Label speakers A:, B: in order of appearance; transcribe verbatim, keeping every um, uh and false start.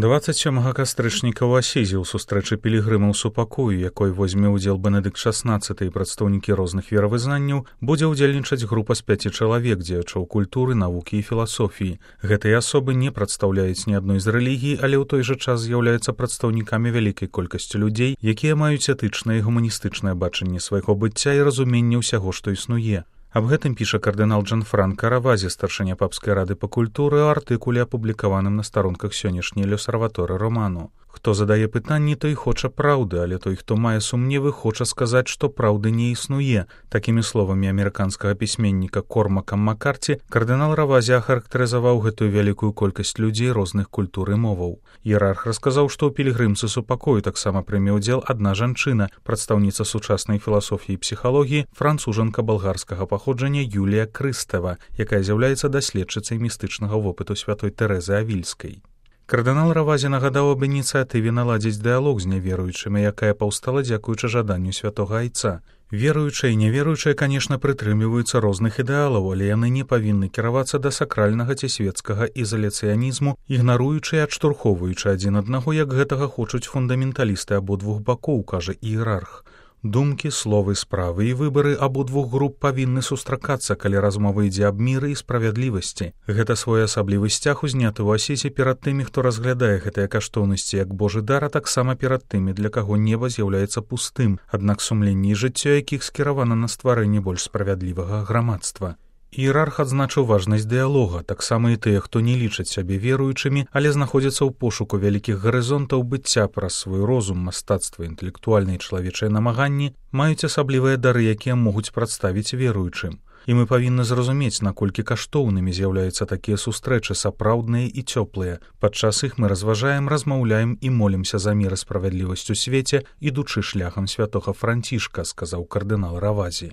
A: дваццаць сёмага кастрычніка ў Асізі ў сустрэчы пілігрымаў супакою, якой возьме ўдзел Бенедыкт шаснаццаты і прадстаўнікі розных веравызнанняў, будзе ўдзельнічаць група з пяці чалавек, дзеячоў культуры, навукі і філасофіі. Гэтыя асобы не прадстаўляюць ні адной з рэлігій, але ў той жа час з'яўляюцца прадстаўнікамі вялікай колькасці людзей, якія маюць этычнае і гуманістычнае бачанне свайго быцця і разуменне ўсяго, што існуе. Аб гэтым піша кардынал Джанфранка Равазі, старшыня папскай рады па культуры, у артыкуле, апублікаваным на старонках сённяшняй L'Osservatore Romano. Хто задае пытанні, той хоча праўды, але той, хто мае сумневы, хоча сказаць, што праўды не існуе. Такімі словамі амерыканскага пісьменніка Кормака Маккарці кардынал Равазі ахарактарызаваў гэтую вялікую колькасць людзей розных культур і моваў. Іерарх расказаў, што ў пілігрымцы супакою таксама прыме ўдзел адна жанчына, прадстаўніца сучаснай філасофіі і псіхалогіі, францужанка балгарскага паходжання Юлія Крыстэва, якая з'яўляецца даследчыцай містычнага вопыту святой Тэрэзы Авільскай. Кардынал Равазі нагадаў аб ініцыятыве наладзіць дыялог з няверуючымі, якая паўстала дзякуючы жаданню святога айца. Веруючыя і няверуючыя, канешне, прытрымліваюцца розных ідэалаў, але яны не павінны кіравацца да сакральнага ці свецкага ізаляцыянізму, ігнаруючы і адштурхоўваючы адзін аднаго, як гэтага хочуць фундаменталісты абодвух бакоў, кажа іерарх. Думкі, словы, справы і выбары абодвух груп павінны сустракацца, калі размова ідзе аб міры і справядлівасці. Гэта своеасаблівы сцяг узняты ў Асізе перад тымі, хто разглядае гэтыя каштоўнасці як Божы дар, а таксама перад тымі, для каго неба з'яўляецца пустым, аднак сумленне і жыццё якіх скіравана на стварэнне больш справядлівага грамадства. Іерарх адзначыў важнасць дыялога, таксама і тыя, хто не лічаць сябе веруючымі, але знаходзяцца ў пошуку вялікіх гарызонтаў быцця праз свой розум, мастацтва, інтэлектуальныя і чалавечыя намаганні, маюць асаблівыя дары, якія могуць прадставіць веруючым. І мы павінны зразумець, наколькі каштоўнымі з'яўляюцца такія сустрэчы, сапраўдныя і цёплыя. Падчас іх мы разважаем, размаўляем і молімся за мір і справядлівасць у свеце, ідучы шляхам святога Францішка, сказаў кардынал Равазі.